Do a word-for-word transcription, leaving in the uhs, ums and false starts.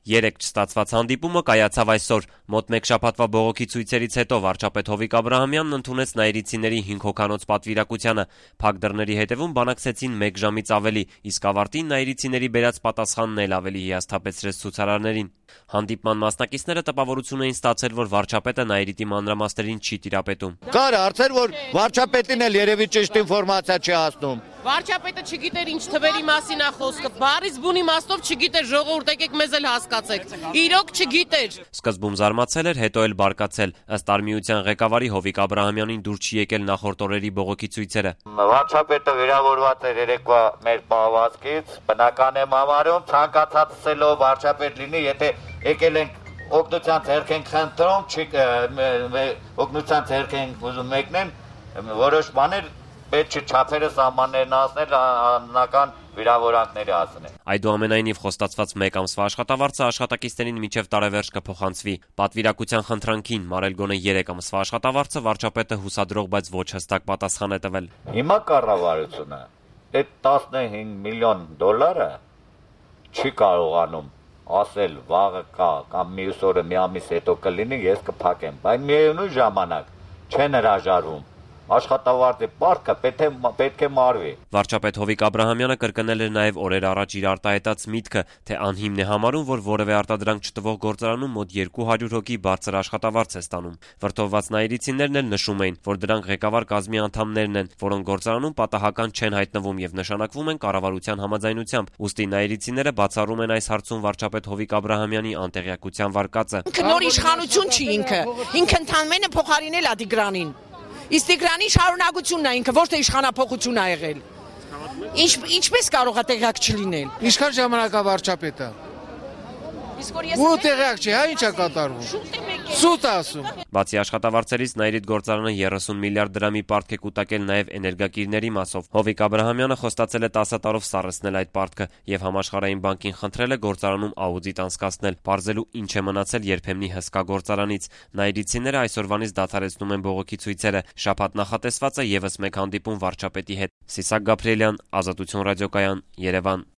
Երեկ չստացված հանդիպումը կայացավ այսօր։ Մոտ մեկ շաբաթվա բողոքի ցույցերից հետո վարչապետ Հովիկ Աբրահամյանն ընդունեց նայիրիցիների հինգ հոգանոց պատվիրակությանը։ Փակ դռների հետևում բանակցեցին մեկ ժամից ավելի, իսկ ավարտին նայիրիցիների բերած պատասխանն էլ ավելի հիասթափեցրեց ցուցարարներին։ Հանդիպման մասնակիցները տպավորություն էին ստացել, որ վարչապետը նայիրիտի մանրամասներին չի տիրապետում։ Կար հարցեր, որ վարչապետին էլ երևի ճիշտ ինֆորմացիա չի հասնում։ Վարչապետը չգիտեր ինչ թվերի մասին է խոսքը, բառից բուն իմաստով չգիտեր, ժողովուրդ եկեք մեզ էլ հասկացեք։ Իրոք չգիտեր։ Սկզբում զարմացել էր, հետո էլ բարկացել։ Ըստ Արմիության ղեկավարի Հովիկ Աբրահամյանին դուր չի եկել նախորդ օրերի բողոքի ցույցերը։ Վարչապետը վիրավորված էր երեկվա մեր պահվածքից, բնական եմ համարում, ցանկացածելով վարչապետ լինի, եթե եկել ենք օգնության ձեռք ենք խնդրում, օգնության ձեռք ենք ուզում մեկնեն, որոշ բաներ պետք չէ չափերը սահմաններն հասնել, անձնական վիրավորանքների հասնել։ Այդուամենայնիվ խոստացված մեկ ամսվա աշխատավարձը աշխատակիցներին մինչև տարեվերջ կփոխանցվի։ Պատվիրակության խնդրանքին մարել գոնե երեք ամսվա աշխատավարձը վարչապետը հուսադրող, բայց ոչ հստակ պատասխան է տվել։ Հիմա կառավարությունը այդ տասնհինգ միլիոն դոլարը չի կարողանում ասել վաղը կա կամ մյուս օրը մի ամիս հետո կլինի, ես կփակեմ, բայց միևնույն ժամանակ չեն հրաժարվում։ Աշխատավարձի պարտքը պետք է մարվի։ Վարչապետ Հովիկ Աբրահամյանը կրկնել էր նաև օրեր առաջ իր արտահայտած միտքը, թե անհիմն է համարում, որ որևէ արտադրանք չտվող գործարանում մոտ երկու հարյուր հոգի բարձր աշխատավարձ է ստանում։ Վրդովված նայիրիցիներն էլ նշում էին, որ դրանք ղեկավար կազմի անդամներն են, որոնք գործարանում պատահական չեն հայտնվում եւ նշանակվում են կառավարության համաձայնությամբ։ Ուստի նայիրիցիները բացառում են այս հարցում վարչապետ Հովիկ Աբրահամյանի անտեղյակության վարկածը։ Ինքը նոր իշխանություն չի ինքը։ Ինքը ընդհանրապես փոխարինել է Տիգրանին։ Իսկ Տիգրանի շարունակությունն է ինքը, ոչ թե իշխանափոխություն է եղել։ Ինչ ինչպես կարող է տեղյակ չլինել։ Ինչքան ժամանակ է վարչապետը։ Իսկ որ ես ու տեղյակ չի, հա ինչ է կատարվում։ Սուտ ասում։ Բացի աշխատավարձերից նայիրիտ գործարանը երեսուն միլիարդ դրամի պարտք է կուտակել նաև էներգակիրների մասով։ Հովիկ Աբրահամյանը խոստացել է տասը տարով սառեցնել այդ պարտքը եւ Համաշխարհային բանկին խնդրել է գործարանում աուդիտ անցկացնել, բարձելու ինչ է մնացել երբեմնի հսկա գործարանից։ Նայիրիցիները այսօրվանից դադարեցնում են բողոքի ցույցերը։ Շաբաթ նախատեսված է եւս մեկ հանդիպում վարչապետի հետ։ Սիսակ Գաբրիելյան, Ազատություն ռադիոկայան, Երևան։